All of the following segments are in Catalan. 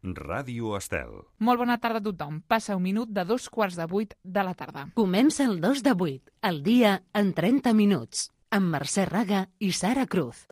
Ràdio Estel. Molt bona tarda a tothom. Passa un minut de 7:15 de la tarda. Comença el 2 de 8, el dia en 30 minuts, amb Mercè Raga i Sara Cruz.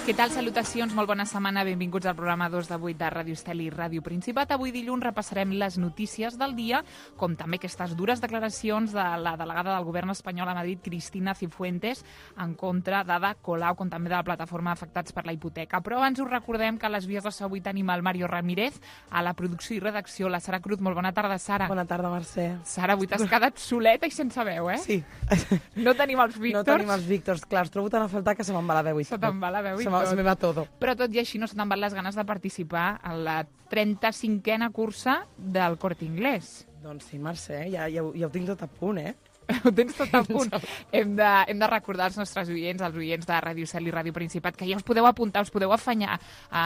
Què tal? Salutacions, molt bona setmana, benvinguts al programa 2 de 8 de Ràdio Estel i Ràdio Principat. Avui dilluns repassarem les notícies del dia, com també aquestes dures declaracions de la delegada del govern espanyol a Madrid, Cristina Cifuentes, en contra d'Ada Colau, com també de la plataforma Afectats per la Hipoteca. Però abans us recordem que a les vies de so avui tenim el Mario Ramírez, a la producció i redacció, la Sara Cruz. Molt bona tarda, Sara. Bona tarda, Mercè. Sara, avui t'has quedat soleta i sense veu, eh? Sí. No tenim els Víctors. No tenim els Víctors, clar, els trobo tan a faltar que se me'n va la veu. Se te'n va la veu i tot. Se me va todo. Però tot i així no se te'n van les ganes de participar en la 35a cursa del Corte Inglés. Doncs sí, Mercè, ja ho tinc tot a punt, eh? Ho tens tot a punt. Hem de recordar als nostres oients, als oients de Ràdio Estel i Ràdio Principat, que ja us podeu apuntar, us podeu afanyar a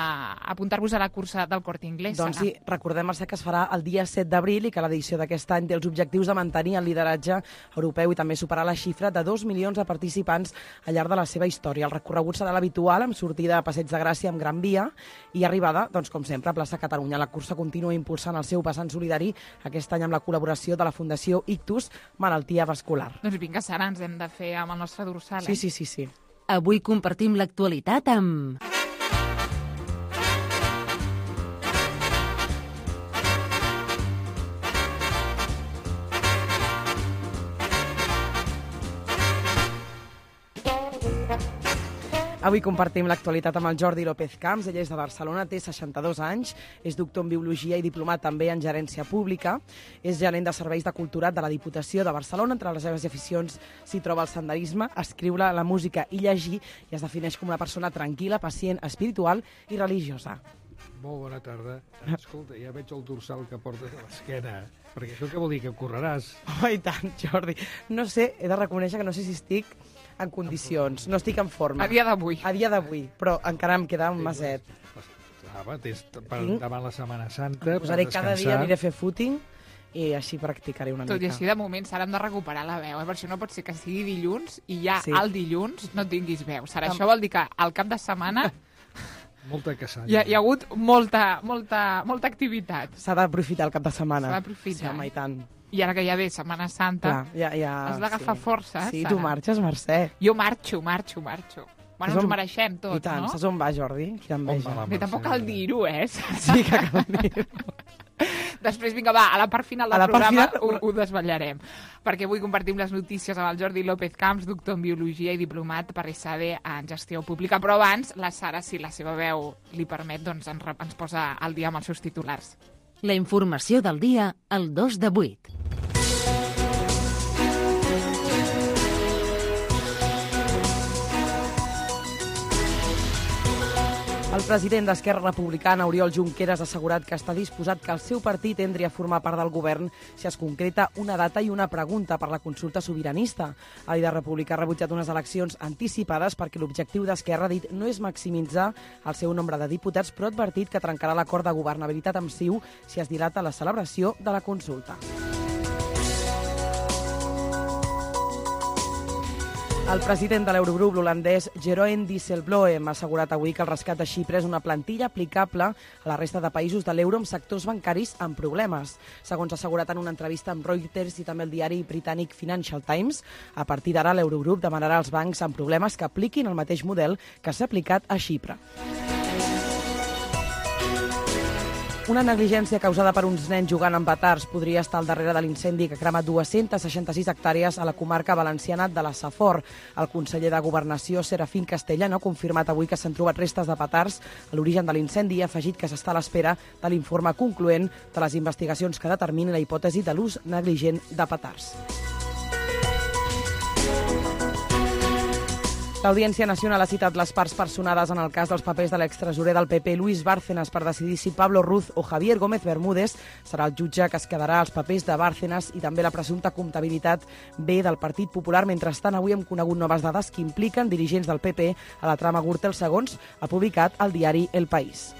apuntar-vos a la cursa del Corte Inglés. Doncs sí, recordem, Mercè, que es farà el dia 7 d'abril i que l'edició d'aquest any té els objectius de mantenir el lideratge europeu i també superar la xifra de 2 milions de participants al llarg de la seva història. El recorregut serà l'habitual, amb sortida a Passeig de Gràcia amb Gran Via i arribada, doncs com sempre, a plaça Catalunya. La cursa continua impulsant el seu vessant solidari, aquest any amb la col·laboració de la Fundació Ictus, Malaltia Vascular. Doncs vinga, Sara, ens hem de fer amb el nostre dorsal, eh? Sí. Avui compartim l'actualitat amb... Avui compartim l'actualitat amb el Jordi López Camps. Ell és de Barcelona, té 62 anys, és doctor en Biologia i diplomat també en Gerència Pública. És gerent de Serveis de Culturat de la Diputació de Barcelona. Entre les seves aficions s'hi troba el senderisme, escriure, la música i llegir, i es defineix com una persona tranquil·la, pacient, espiritual i religiosa. Molt bona tarda. Escolta, ja veig el dorsal que portes a l'esquena, perquè això què vol dir, que correràs? Oh, i tant, Jordi. No sé, he de reconèixer que no sé si estic en condicions, no estic en forma. A dia d'avui. A dia d'avui, però encara em queda un maset. Davant la Setmana Santa, per posaré descansar. cada dia, aniré a fer footing i així practicaré una Tot mica. i així, de moment, Sara, hem de recuperar la veu, per això no pot ser que sigui dilluns i ja Sí. al dilluns no tinguis veu. Sara, això vol dir que al cap de setmana Molta caçanya. hi ha hagut molta activitat. S'ha d'aprofitar el cap de setmana. S'ha d'aprofitar, Sí, home, i tant. I ara que ja ve Setmana Santa, Clar, ja, has d'agafar força, Sí, Sara. tu marxes, Mercè. Jo marxo. Bueno, ens ho mereixem tot, I tant, no? saps on va, Jordi? Quina enveja. On va la Bé, tampoc cal dir-ho, eh? Sí que cal dir-ho. Després, vinga, va, a la part final del A la part programa final- ho desvetllarem. Perquè avui compartim les notícies amb el Jordi López Camps, doctor en Biologia i diplomat per ESADE en Gestió Pública. Però abans, la Sara, si la seva veu li permet, doncs ens posa al dia amb els seus titulars. La informació del dia al 2 de 8. El president d'Esquerra Republicana, Oriol Junqueras, ha assegurat que està disposat que el seu partit entri a formar part del govern si es concreta una data i una pregunta per la consulta sobiranista. El líder republicà ha rebutjat unes eleccions anticipades perquè l'objectiu d'Esquerra, ha dit, no és maximitzar el seu nombre de diputats, però ha advertit que trencarà l'acord de governabilitat amb CiU si es dilata la celebració de la consulta. El president de l'Eurogrup, l'holandès Jeroen Dijsselbloem, ha assegurat avui que el rescat de Xipre és una plantilla aplicable a la resta de països de l'euro amb sectors bancaris amb problemes. Segons ha assegurat en una entrevista amb Reuters i també el diari britànic Financial Times, a partir d'ara l'Eurogrup demanarà als bancs amb problemes que apliquin el mateix model que s'ha aplicat a Xipre. Una negligència causada per uns nens jugant amb petards podria estar al darrere de l'incendi que crema 266 hectàrees a la comarca valenciana de la Safor. El conseller de Governació, Serafín Castellano, ha confirmat avui que s'han trobat restes de petards a l'origen de l'incendi i ha afegit que s'està a l'espera de l'informe concloent de les investigacions que determinin la hipòtesi de l'ús negligent de petards. L'Audiència Nacional ha citat les parts personades en el cas dels papers de l'extresorer del PP, Luis Bárcenas, per decidir si Pablo Ruz o Javier Gómez Bermúdez serà el jutge que es quedarà als papers de Bárcenas i també la presumpta comptabilitat B del Partit Popular. Mentrestant, avui hem conegut noves dades que impliquen dirigents del PP a la trama Gürtel, segons ha publicat el diari El País.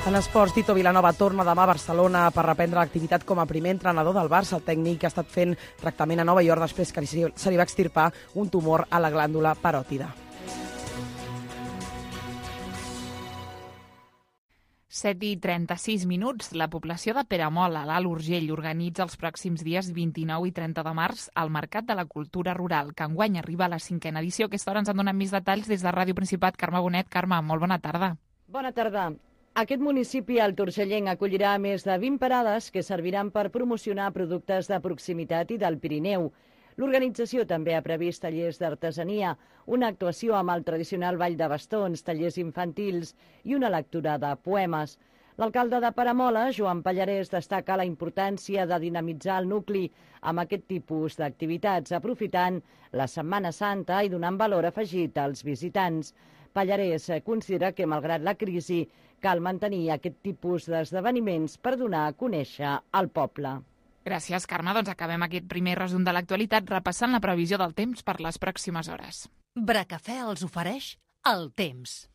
En esports, Tito Vilanova torna demà a Barcelona per reprendre l'activitat com a primer entrenador del Barça. El tècnic ha estat fent tractament a Nova York després que se li va extirpar un tumor a la glàndula paròtida. 7:36. La població de Peramola, a l'Alt Urgell, organitza els pròxims dies 29 i 30 de març al Mercat de la Cultura Rural, que enguany arriba a la 5a edició. A aquesta hora ens en donen més detalls des de Ràdio Principat. Carme Bonet. Carme, molt bona tarda. Bona tarda. Aquest municipi, el Torcellenc, acollirà més de 20 parades que serviran per promocionar productes de proximitat i del Pirineu. L'organització també ha previst tallers d'artesania, una actuació amb el tradicional ball de bastons, tallers infantils i una lectura de poemes. L'alcalde de Peramola, Joan Pallarès, destaca la importància de dinamitzar el nucli amb aquest tipus d'activitats, aprofitant la Setmana Santa i donant valor afegit als visitants. Pallarès considera que, malgrat la crisi, cal mantenir aquest tipus d'esdeveniments per donar a conèixer el poble. Gràcies, Carme. Doncs acabem aquest primer resum de l'actualitat repassant la previsió del temps per les pròximes hores. Bracafè els ofereix el temps.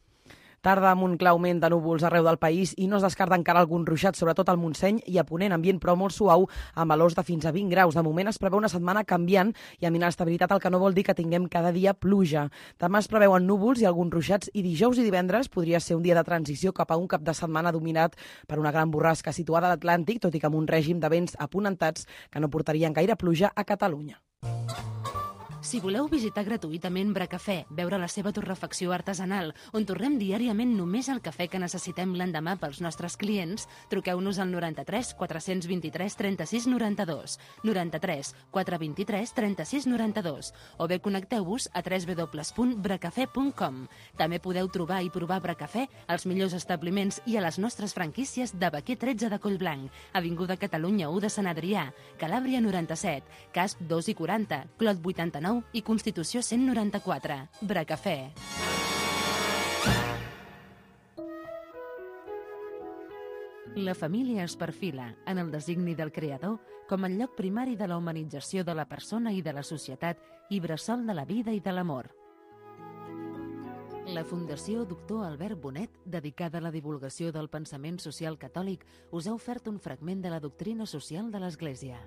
Tarda amb un clar augment de núvols arreu del país i no es descarta encara algun ruixat, sobretot al Montseny i a Ponent, ambient però molt suau, amb valors de fins a 20 graus. De moment es preveu una setmana canviant i amb inestabilitat, el que no vol dir que tinguem cada dia pluja. Demà es preveuen núvols i alguns ruixats i dijous i divendres podria ser un dia de transició cap a un cap de setmana dominat per una gran borrasca situada a l'Atlàntic, tot i que amb un règim de vents aponentats que no portarien gaire pluja a Catalunya. Si voleu visitar gratuïtament Bracafè, veure la seva torrefacció artesanal, on torrem diàriament només el cafè que necessitem l'endemà pels nostres clients, truqueu-nos al 93 423 36 92, 93 423 36 92, o bé connecteu-vos a www.bracafè.com. També podeu trobar i provar Bracafè als millors establiments i a les nostres franquícies de Baquer 13 de Collblanc, Avinguda Catalunya 1 de Sant Adrià, Calàbria 97, Casp 2 i 40, Clot 89 i Constitució 194. Bracafè. La família es perfila, en el designi del creador, com el lloc primari de la humanització de la persona i de la societat i bressol de la vida i de l'amor. La Fundació Doctor Albert Bonet, dedicada a la divulgació del pensament social catòlic, us ha ofert un fragment de la doctrina social de l'Església.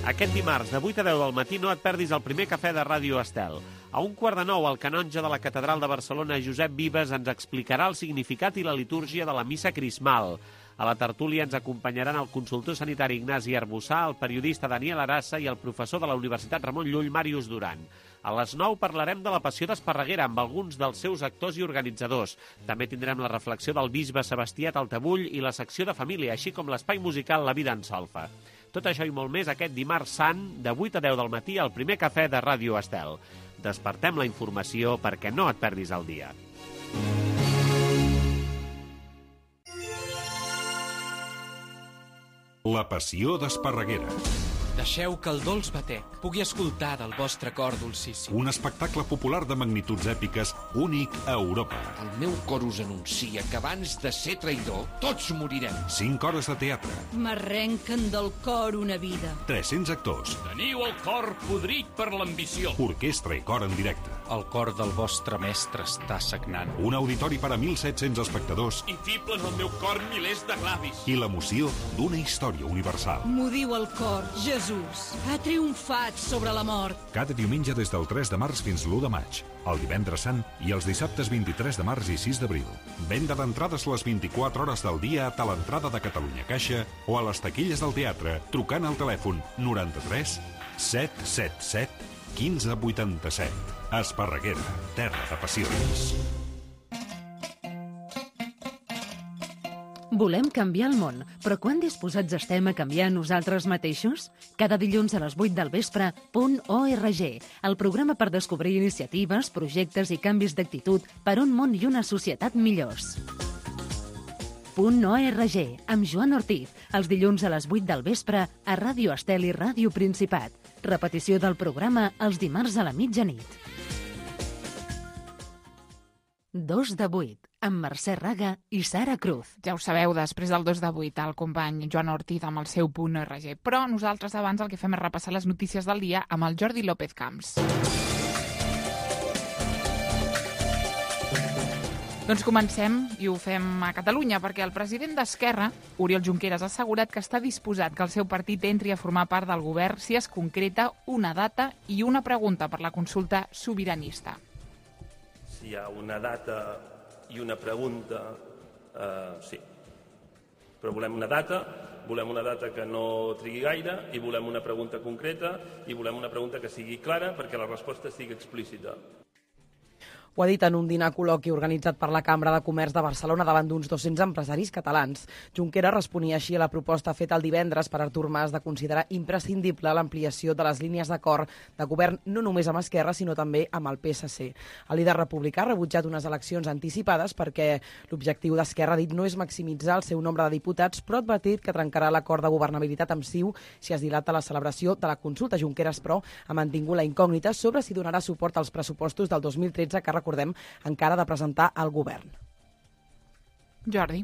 Aquest dimarts, de 8 a 10 del matí, no et perdis el primer cafè de Ràdio Estel. A 1:15, el canonge de la Catedral de Barcelona, Josep Vives, ens explicarà el significat i la litúrgia de la missa crismal. A la tertúlia ens acompanyaran el consultor sanitari Ignasi Arbussà, el periodista Daniel Arassa i el professor de la Universitat Ramon Llull, Màrius Duran. A les 9 parlarem de la Passió d'Esparreguera amb alguns dels seus actors i organitzadors. També tindrem la reflexió del bisbe Sebastià Taltabull i la secció de família, així com l'espai musical La Vida en Solfa. Tot això i molt més aquest dimarts sant, de 8 a 10 del matí, al primer cafè de Ràdio Estel. Despertem la informació perquè no et perdis el dia. La Passió d'Esparreguera. Deixeu que el dolç batec pugui escoltar del vostre cor dolcíssim. Un espectacle popular de magnituds èpiques únic a Europa. El meu cor us anuncia que abans de ser traïdor, tots morirem. 5 hores de teatre. M'arrenquen del cor una vida. 300 actors. Teniu el cor podrit per l'ambició. Orquestra i cor en directe. El cor del vostre mestre està sagnant. Un auditori per a 1.700 espectadors. I fiblen al meu cor milers de clavis. I l'emoció d'una història universal. M'ho diu el cor, Jesús ha triomfat sobre la mort. Cada diumenge des del 3 de març fins l'1 de maig, el divendres sant i els dissabtes 23 de març i 6 d'abril. Venda d'entrades les 24 hores del dia a Talentrada de Catalunya Caixa o a les taquilles del teatre trucant al telèfon 93 777 1587. Esparreguera, terra de passions. Volem canviar el món, però quan disposats estem a canviar nosaltres mateixos? Cada dilluns a les 8 del vespre, .org, el programa per descobrir iniciatives, projectes i canvis d'actitud per un món i una societat millors. .org, amb Joan Ortiz, els dilluns a les 8 del vespre a Ràdio Estel i Ràdio Principat. Repetició del programa els dimarts a la mitjanit. 2 de 8, amb Mercè Raga i Sara Cruz. Ja ho sabeu, després del 2 de 8, el company Joan Ortiz amb el seu .org. Però nosaltres abans el que fem és repassar les notícies del dia amb el Jordi López Camps. Doncs comencem i ho fem a Catalunya, perquè el president d'Esquerra, Oriol Junqueras, ha assegurat que està disposat que el seu partit entri a formar part del govern si es concreta una data i una pregunta per la consulta sobiranista. Si hi ha una data i una pregunta, sí. Però volem una data que no trigui gaire, i volem una pregunta concreta, i volem una pregunta que sigui clara perquè la resposta sigui explícita. Ho ha dit en un dinar col·loqui organitzat per la Cambra de Comerç de Barcelona davant d'uns 200 empresaris catalans. Junqueras responia així a la proposta feta el divendres per Artur Mas de considerar imprescindible l'ampliació de les línies d'acord de govern no només amb Esquerra, sinó també amb el PSC. El líder republicà ha rebutjat unes eleccions anticipades perquè l'objectiu d'Esquerra, ha dit, no és maximitzar el seu nombre de diputats, però ha advertit que trencarà l'acord de governabilitat amb CiU si es dilata la celebració de la consulta. Junqueras, però, ha mantingut la incògnita sobre si donarà suport als pressupostos del 2013 que recordem, encara de presentar al govern. Jordi.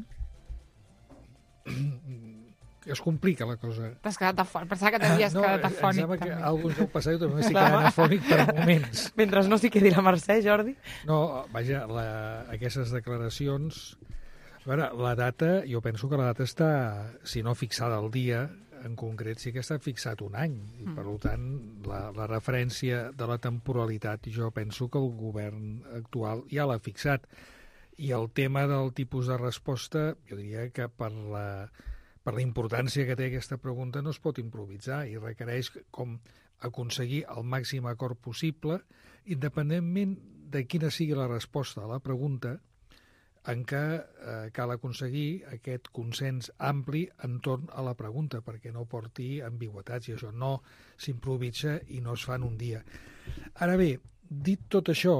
Es complica la cosa. T'has quedat afònic. Pensava que t'havies quedat afònic. Em sembla que alguns del passat jo també m'estic quedant afònic per moments. Mentre no s'hi quedi la Mercè, Jordi. No, vaja, aquestes declaracions... A veure, la data, jo penso que la data està, si no fixada al dia, en concret sí que està fixat un any, i per tant la referència de la temporalitat jo penso que el govern actual ja l'ha fixat, i el tema del tipus de resposta jo diria que per la importància que té aquesta pregunta no es pot improvisar i requereix com aconseguir el màxim acord possible, independentment de quina sigui la resposta a la pregunta, en què cal aconseguir aquest consens ampli entorn a la pregunta, perquè no porti ambigüitats, i això no s'improvisa i no es fa en un dia. Ara bé, dit tot això,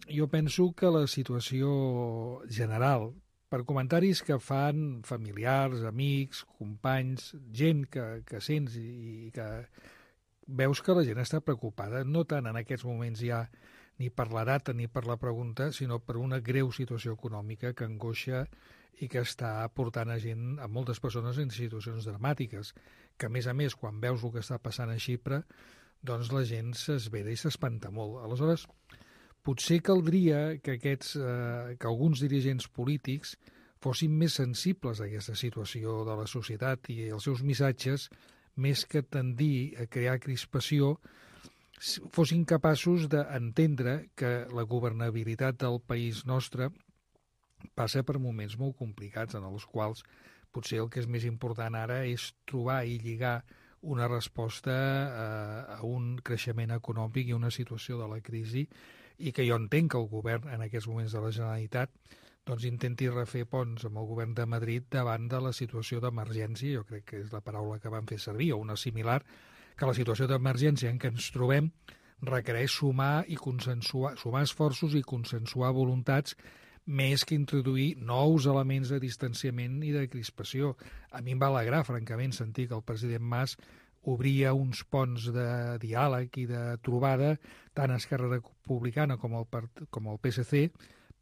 jo penso que la situació general, per comentaris que fan familiars, amics, companys, gent que sents i que veus que la gent està preocupada, no tant en aquests moments ja ni per la data ni per la pregunta, sinó per una greu situació econòmica que angoixa i que està portant a moltes persones en situacions dramàtiques, que a més, quan veus el que està passant a Xipre, doncs la gent s'esvera i s'espanta molt. Aleshores, potser caldria que alguns dirigents polítics fossin més sensibles a aquesta situació de la societat i els seus missatges, més que tendir a crear crispació, fossin capaços d'entendre que la governabilitat del país nostre passa per moments molt complicats en els quals potser el que és més important ara és trobar i lligar una resposta a un creixement econòmic i una situació de la crisi, i que jo entenc que el govern en aquests moments de la Generalitat doncs intenti refer ponts amb el govern de Madrid davant de la situació d'emergència, jo crec que és la paraula que van fer servir, o una similar, que la situació d'emergència en què ens trobem requereix sumar esforços i consensuar voluntats més que introduir nous elements de distanciament i de crispació. A mi em va alegrar, francament, sentir que el president Mas obria uns ponts de diàleg i de trobada tant a Esquerra Republicana com al PSC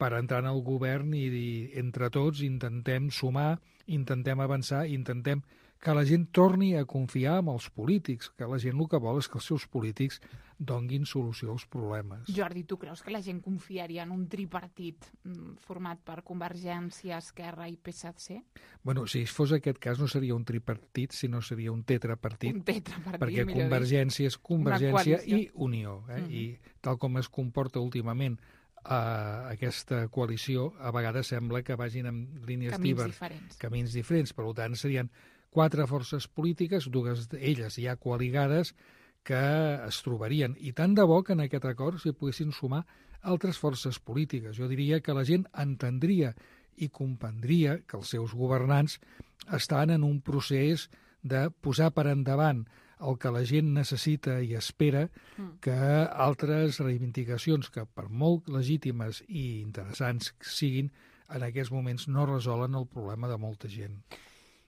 per entrar en el govern i dir, entre tots intentem sumar, intentem avançar, intentem que la gent torni a confiar en els polítics, que la gent el que vol és que els seus polítics donguin solució als problemes. Jordi, tu creus que la gent confiaria en un tripartit format per Convergència, Esquerra i PSC? Bueno, si fos aquest cas no seria un tripartit, sinó seria un tetrapartit. Un tetrapartit, perquè Convergència és Convergència i Unió. I tal com es comporta últimament aquesta coalició, a vegades sembla que vagin en línies camins diferents. Per tant, serien 4 forces polítiques, 2 d'elles ja coaligades, que es trobarien. I tant de bo que en aquest acord s'hi poguessin sumar altres forces polítiques. Jo diria que la gent entendria i comprendria que els seus governants estan en un procés de posar per endavant el que la gent necessita i espera, que altres reivindicacions que per molt legítimes i interessants siguin, en aquests moments no resolen el problema de molta gent.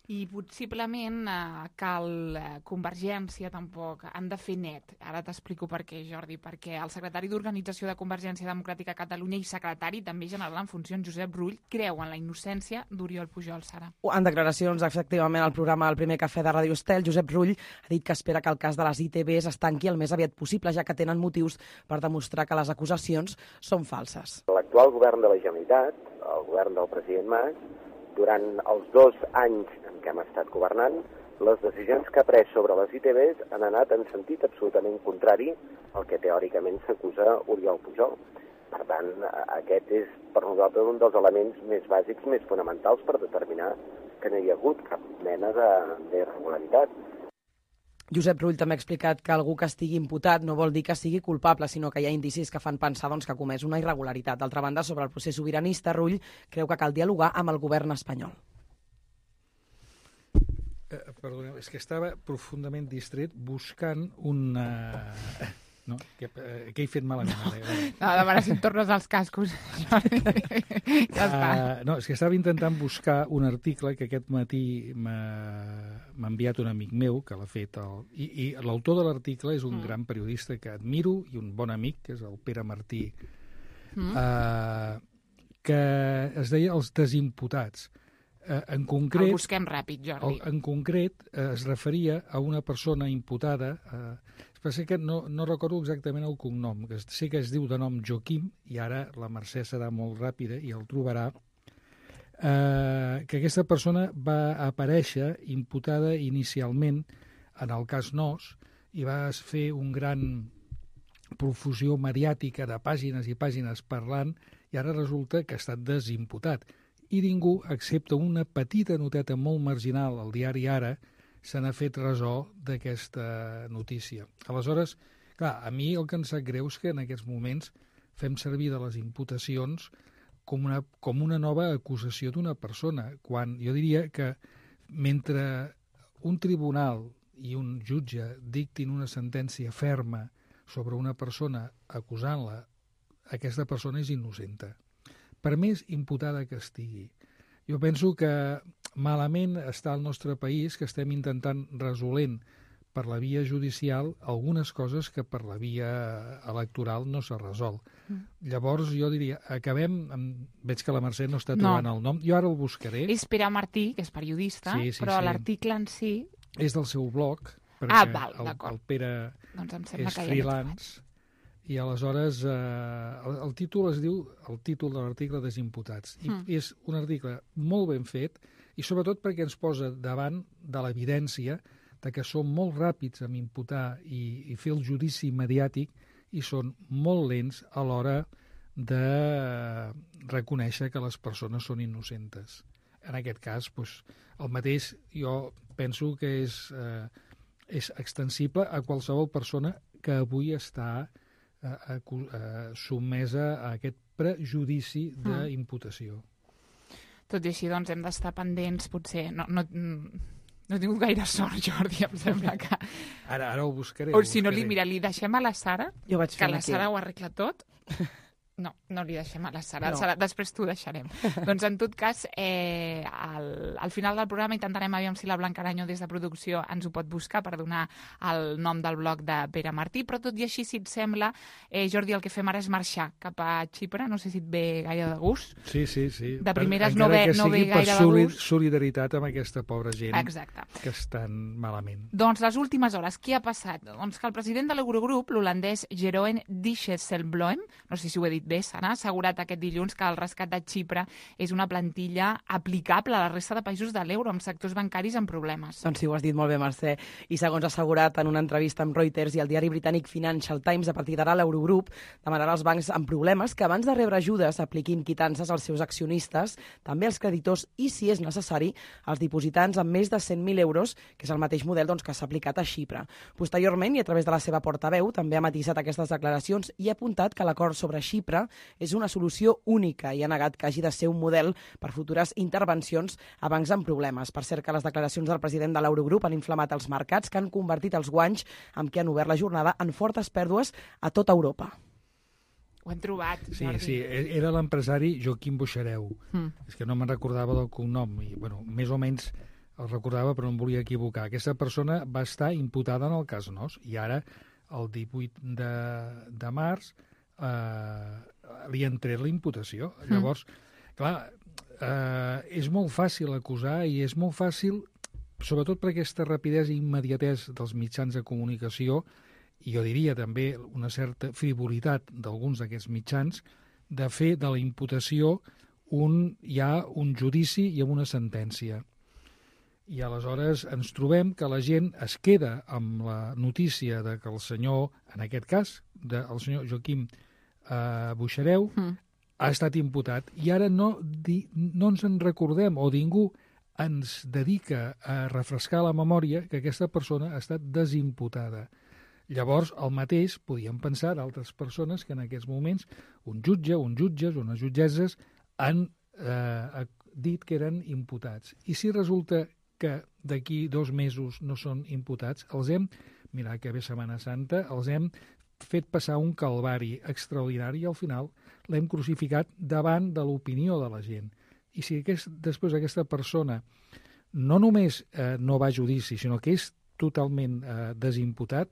I possiblement Convergència tampoc han de fer net. Ara t'explico per què, Jordi, perquè el secretari d'Organització de Convergència Democràtica a Catalunya i secretari també general en funcions, Josep Rull, creu en la innocència d'Oriol Pujol, Sara. En declaracions, efectivament, al programa El primer cafè de Ràdio Estel, Josep Rull ha dit que espera que el cas de les ITVs es tanqui el més aviat possible, ja que tenen motius per demostrar que les acusacions són falses. L'actual govern de la Generalitat, el govern del president Mas, durant els 2 anys en què hem estat governant, les decisions que ha pres sobre les ITVs han anat en sentit absolutament contrari al que teòricament s'acusa Oriol Pujol. Per tant, aquest és per nosaltres un dels elements més bàsics, més fonamentals per determinar que no hi ha hagut cap mena d'irregularitat. Josep Rull també ha explicat que algú que estigui imputat no vol dir que sigui culpable, sinó que hi ha indicis que fan pensar que ha comès una irregularitat. D'altra banda, sobre el procés sobiranista, Rull creu que cal dialogar amb el govern espanyol. Perdoneu, és que estava profundament distret buscant una... No, què he fet malament? No, demana si em tornes els cascos. Ja està. No, és que estava intentant buscar un article que aquest matí m'ha enviat un amic meu, que l'ha fet. I l'autor de l'article és un gran periodista que admiro i un bon amic, que és el Pere Martí, que es deia Els Desimputats. En concret, el busquem ràpid, Jordi. En concret, es referia a una persona imputada... Però que no recordo exactament el cognom, que sé que es diu de nom Joaquim, i ara la Mercè serà molt ràpida i el trobarà, que aquesta persona va aparèixer imputada inicialment en el cas Nos i va fer un gran profusió mediàtica de pàgines i pàgines parlant, i ara resulta que ha estat desimputat. I ningú, excepte una petita noteta molt marginal al diari Ara, se n'ha fet ressò d'aquesta notícia. Aleshores, clar, a mi el que em sap greu és que en aquests moments fem servir de les imputacions com una nova acusació d'una persona, quan jo diria que mentre un tribunal i un jutge dictin una sentència ferma sobre una persona acusant-la, aquesta persona és innocenta. Per més imputada que estigui. Jo penso que malament està el nostre país, que estem intentant resolent per la via judicial algunes coses que per la via electoral no s'ha resolt. Llavors jo diria, veig que la Mercè no està trobant el nom, jo ara el buscaré. És Pere Martí, que és periodista, però l'article en si... És del seu blog, perquè el Pere és freelance. I aleshores el títol es diu, el títol de l'article Desimputats. I és un article molt ben fet i sobretot perquè ens posa davant de l'evidència de que som molt ràpids en imputar i fer el judici mediàtic i són molt lents a l'hora de reconèixer que les persones són innocentes. En aquest cas, el mateix jo penso que és extensible a qualsevol persona que avui està sotmesa a aquest prejudici d'imputació. Tot i així, doncs, hem d'estar pendents, potser... No he tingut gaire sort, Jordi, em sembla que... Ara ho buscaré. O si no, li deixem a la Sara, que la Sara ho arregla tot. No li deixem a la Sara. No. Després t'ho deixarem. Doncs, en tot cas, al final del programa intentarem aviam si la Blanca Aranyo des de producció ens ho pot buscar per donar el nom del blog de Pere Martí, però tot i així, si et sembla, Jordi, el que fem ara és marxar cap a Xipre. No sé si et ve gaire de gust. Sí. De primeres no ve gaire de gust. Solidaritat amb aquesta pobra gent. Exacte. Que estan malament. Doncs les últimes hores, què ha passat? Doncs que el president de l'Eurogrup, l'holandès Jeroen Dijsselbloem, no sé si ho he dit bé, Sara, ha assegurat aquest dilluns que el rescat de Xipre és una plantilla aplicable a la resta de països de l'euro, amb sectors bancaris amb problemes. Doncs sí, ho has dit molt bé, Mercè. I segons ha assegurat en una entrevista amb Reuters i el diari britànic Financial Times, a partir d'ara l'Eurogrup demanarà als bancs amb problemes que abans de rebre ajudes apliquin quitances als seus accionistes, també als creditors i, si és necessari, als dipositants amb més de 100.000 euros, que és el mateix model que s'ha aplicat a Xipre. Posteriorment, i a través de la seva portaveu, també ha matisat aquestes declaracions i ha apuntat que l'acord sobre Xipre és una solució única i ha negat que hagi de ser un model per futures intervencions a bancs amb problemes. Per cert, que les declaracions del president de l'Eurogrup han inflamat els mercats, que han convertit els guanys amb què han obert la jornada en fortes pèrdues a tota Europa. Ho hem trobat, Jordi. Sí, era l'empresari Joaquim Boixareu. És que no me'n recordava del cognom. I, més o menys el recordava però no em volia equivocar. Aquesta persona va estar imputada en el cas Nos i ara, el 18 de març, li han tret la imputació. Llavors, clar, és molt fàcil acusar i és molt fàcil, sobretot per aquesta rapidesa i immediatesa dels mitjans de comunicació, i jo diria també una certa frivolitat d'alguns d'aquests mitjans, de fer de la imputació ja un judici i una sentència. I aleshores ens trobem que la gent es queda amb la notícia de que el senyor, en aquest cas, el senyor Joaquim Buixareu, ha estat imputat. I ara no ens en recordem, o ningú ens dedica a refrescar la memòria que aquesta persona ha estat desimputada. Llavors, el mateix podíem pensar d'altres persones que en aquests moments un jutge, jutges, unes jutgesses han dit que eren imputats. I si resulta que d'aquí 2 mesos no són imputats, mira que ve Setmana Santa, els hem fet passar un calvari extraordinari i al final l'hem crucificat davant de l'opinió de la gent. I si després aquesta persona no només no va a judici, sinó que és totalment desimputat,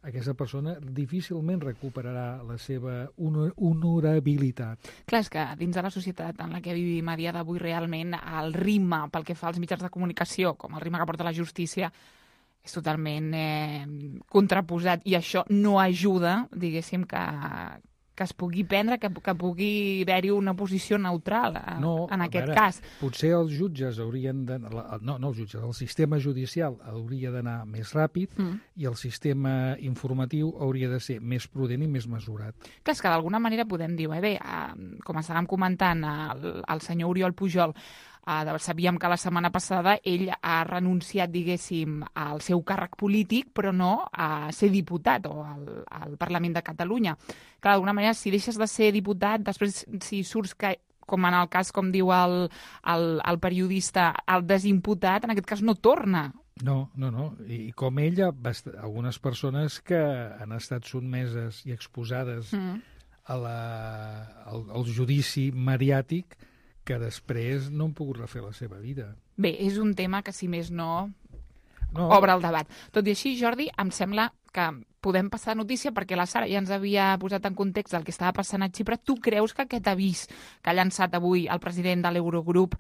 aquesta persona difícilment recuperarà la seva honorabilitat. Clar, és que dins de la societat en la que vivim a dia d'avui realment el ritme pel que fa als mitjans de comunicació, com el ritme que porta la justícia, és totalment contraposat i això no ajuda, diguéssim, que es pugui prendre, que pugui haver-hi una posició neutral en aquest cas. Potser els jutges haurien de... No els jutges, el sistema judicial hauria d'anar més ràpid i el sistema informatiu hauria de ser més prudent i més mesurat. Clar, és que d'alguna manera podem dir, com estàvem comentant, el senyor Oriol Pujol, sabíem que la setmana passada ell ha renunciat, diguéssim, al seu càrrec polític, però no a ser diputat o al Parlament de Catalunya. Clar, d'alguna manera, si deixes de ser diputat, després si surts com en el cas, com diu el periodista, el desimputat, en aquest cas no torna. No. I com ella, algunes persones que han estat sotmeses i exposades al judici mediàtic que després no han pogut refer la seva vida. Bé, és un tema que, si més no, obre el debat. Tot i així, Jordi, em sembla que podem passar notícia perquè la Sara ja ens havia posat en context del que estava passant a Xipre. Tu creus que aquest avís que ha llançat avui el president de l'Eurogrup,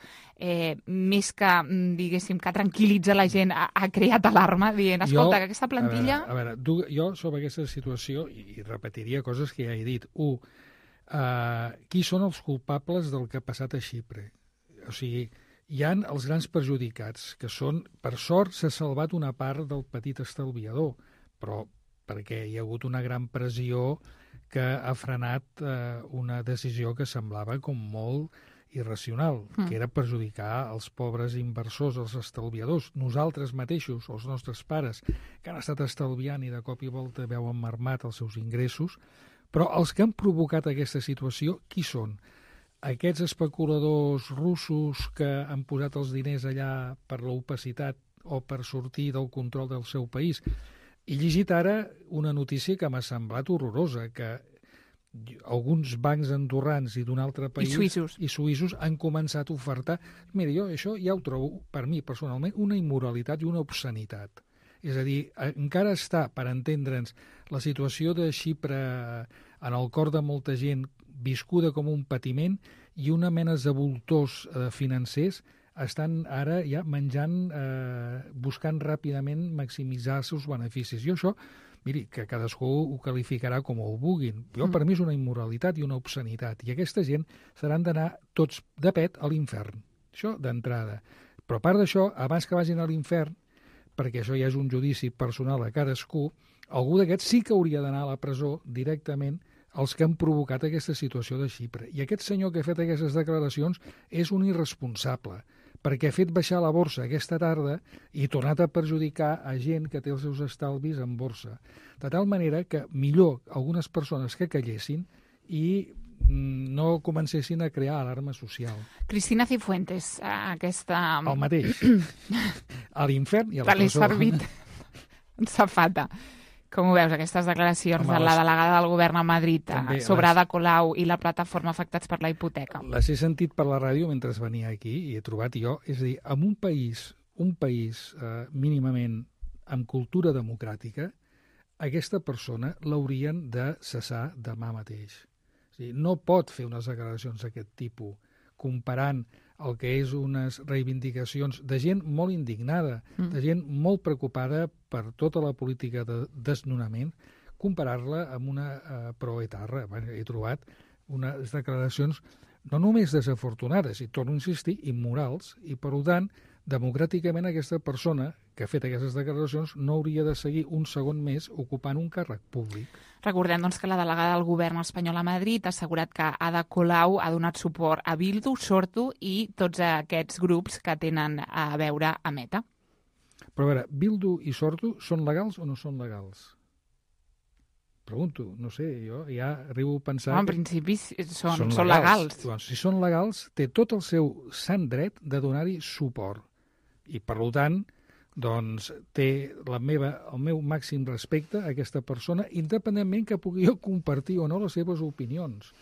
més que, diguéssim, que tranquil·litza la gent, ha creat alarma dient, escolta, que aquesta plantilla... A veure, jo sobre aquesta situació, i repetiria coses que ja he dit. Qui són els culpables del que ha passat a Xipre? O sigui, hi ha els grans perjudicats, que són, per sort, s'ha salvat una part del petit estalviador, però perquè hi ha hagut una gran pressió que ha frenat una decisió que semblava com molt irracional, que era perjudicar els pobres inversors, els estalviadors, nosaltres mateixos, els nostres pares, que han estat estalviant i de cop i volta veuen mermat els seus ingressos. Però els que han provocat aquesta situació, qui són? Aquests especuladors russos que han posat els diners allà per l'opacitat o per sortir del control del seu país? He llegit ara una notícia que m'ha semblat horrorosa, que alguns bancs andorrans i d'un altre país i suïssos han començat a ofertar... Mira, jo això ja ho trobo, per mi personalment, una immoralitat i una obscenitat. És a dir, encara està, per entendre'ns, la situació de Xipre en el cor de molta gent viscuda com un patiment i una mena de voltors financers estan ara ja menjant, buscant ràpidament maximitzar els seus beneficis. I això, miri, que cadascú ho qualificarà com ho vulguin. Jo, per mi, és una immoralitat i una obscenitat. I aquesta gent seran d'anar tots de pet a l'infern. Això d'entrada. Però a part d'això, abans que vagin a l'infern, perquè això ja és un judici personal a cadascú, algú d'aquests sí que hauria d'anar a la presó directament els que han provocat aquesta situació de Xipre. I aquest senyor que ha fet aquestes declaracions és un irresponsable, perquè ha fet baixar la borsa aquesta tarda i tornat a perjudicar a gent que té els seus estalvis en borsa. De tal manera que millor algunes persones que callessin i no comencessin a crear alarma social. Cristina Cifuentes, aquesta... El mateix. A l'infern i a la presó. Te l'he servit en safata. Com ho veus, aquestes declaracions de la delegada del govern a Madrid sobre Ada Colau i la plataforma Afectats per la Hipoteca? Les he sentit per la ràdio mentre venia aquí i he trobat jo, és a dir, en un país un país mínimament amb cultura democràtica, aquesta persona l'haurien de cessar demà mateix. O sigui, no pot fer unes declaracions d'aquest tipus comparant el que és unes reivindicacions de gent molt indignada, de gent molt preocupada per tota la política de desnonament, comparar-la amb una proetarra. He trobat unes declaracions no només desafortunades, i torno a insistir, immorals, i per tant, democràticament aquesta persona que ha fet aquestes declaracions no hauria de seguir un segon més ocupant un càrrec públic. Recordem doncs, que la delegada del govern espanyol a Madrid ha assegurat que Ada Colau ha donat suport a Bildu, Sortu i tots aquests grups que tenen a veure amb ETA. Però a veure, Bildu i Sortu són legals o no són legals? Pregunto, no sé, jo ja arribo a pensar... En principi són legals. Doncs, si són legals, té tot el seu sant dret de donar-hi suport. I, per tant, doncs, té el meu màxim respecte a aquesta persona, independentment que pugui jo compartir o no les seves opinions.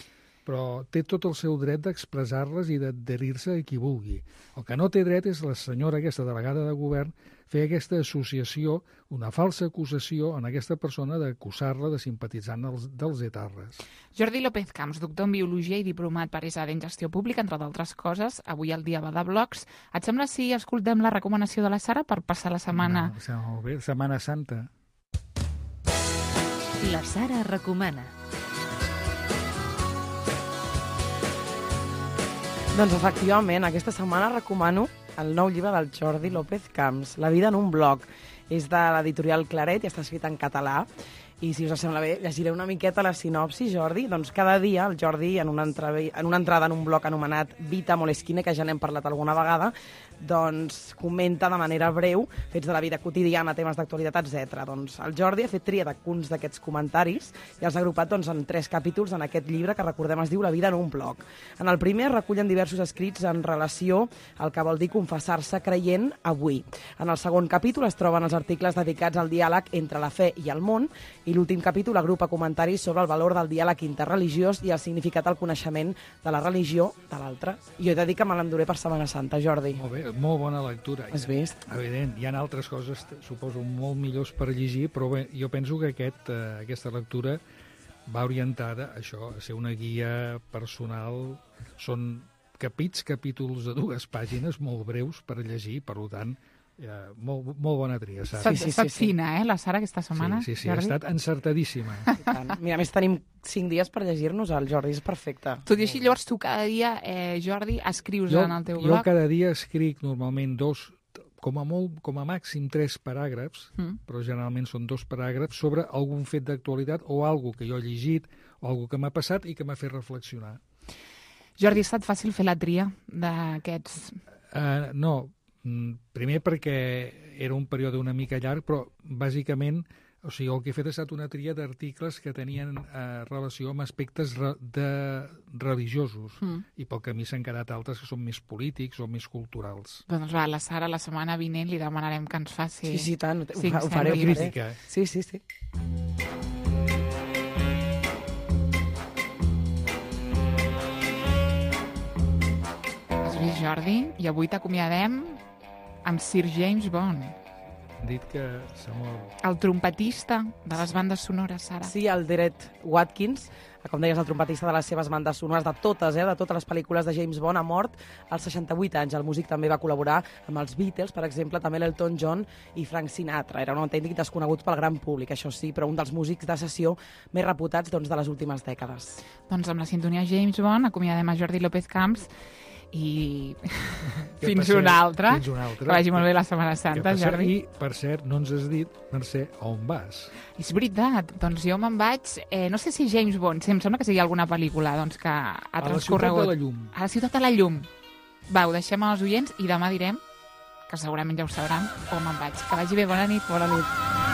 Però té tot el seu dret d'expressar-les i d'adherir-se a qui vulgui. El que no té dret és la senyora, aquesta delegada de govern, fer aquesta associació, una falsa acusació en aquesta persona d'acusar-la de simpatitzant dels etarres. Jordi López Camps, doctor en Biologia i diplomat per ESAD en Gestió Pública, entre d'altres coses, avui el dia va de blogs. Et sembla si escoltem la recomanació de la Sara per passar la setmana? Molt bé, Setmana Santa. La Sara recomana. Doncs efectivament, aquesta setmana recomano el nou llibre del Jordi López Camps, La vida en un blog. És de l'editorial Claret i està escrit en català. I si us sembla bé, llegiré una miqueta la sinopsi, Jordi. Doncs cada dia el Jordi, en una entrada en un blog anomenat Vita Moleskine, que ja n'hem parlat alguna vegada, doncs comenta de manera breu fets de la vida quotidiana, temes d'actualitat, etc. Doncs el Jordi ha fet tria d'alguns d'aquests comentaris i els ha agrupat doncs, en 3 capítols en aquest llibre que, recordem, es diu La vida en un blog. En el primer recullen diversos escrits en relació al que vol dir confessar-se creient avui. En el segon capítol es troben els articles dedicats al diàleg entre la fe i el món, i l'últim capítol agrupa comentaris sobre el valor del diàleg interreligiós i el significat del coneixement de la religió de l'altre. Jo he de dir que me l'enduré per Setmana Santa, Jordi. Molt bé, molt bona lectura. Has vist? Evident, hi ha altres coses, suposo, molt millors per llegir, però bé, jo penso que aquesta lectura va orientada a això, a ser una guia personal. Són capítols de 2 pàgines molt breus per llegir, per tant, molt bona tria, Sara. Està fina, la Sara, aquesta setmana. Sí, ha estat encertadíssima. Mira, a més tenim 5 dies per llegir-nos, el Jordi, és perfecte. Tot i així, llavors, tu cada dia, Jordi, escrius en el teu blog? Jo cada dia escric normalment 2, com a màxim 3 paràgrafs, però generalment són 2 paràgrafs, sobre algun fet d'actualitat o algo que jo he llegit o algo que m'ha passat i que m'ha fet reflexionar. Jordi, ha estat fàcil fer la tria d'aquests? No, primer perquè era un període una mica llarg, però bàsicament, o sigui, el que he fet ha estat una tria d'articles que tenien relació amb aspectes religiosos, i pel camí s'han quedat altres que són més polítics o més culturals. Doncs va, la Sara, la setmana vinent li demanarem que ens faci... Sí, tant, ho faré. Crítica. Sí. Has vist, Jordi? I avui t'acomiadem amb Sir James Bond. Dit que s'ha mort. El trompetista de les bandes sonores, Sara. Sí, el Derek Watkins, com deies, el trompetista de les seves bandes sonores, de totes les pel·lícules de James Bond, ha mort als 68 anys. El músic també va col·laborar amb els Beatles, per exemple, també l'Elton John i Frank Sinatra. Era un autèntic desconegut pel gran públic, això sí, però un dels músics de sessió més reputats de les últimes dècades. Doncs amb la sintonia James Bond acomiadem a Jordi López Camps i fins una altra. Que vagi molt bé la Setmana Santa, Jordi. I, per cert, no ens has dit, Mercè, on vas? És veritat, doncs jo me'n vaig, no sé si James Bond, em sembla que sigui alguna pel·lícula que ha transcorregut. A la Ciutat de la Llum. A la Ciutat de la Llum. Va, ho deixem als oients i demà direm, que segurament ja ho sabran, on me'n vaig. Que vagi bé, bona nit. Bona nit.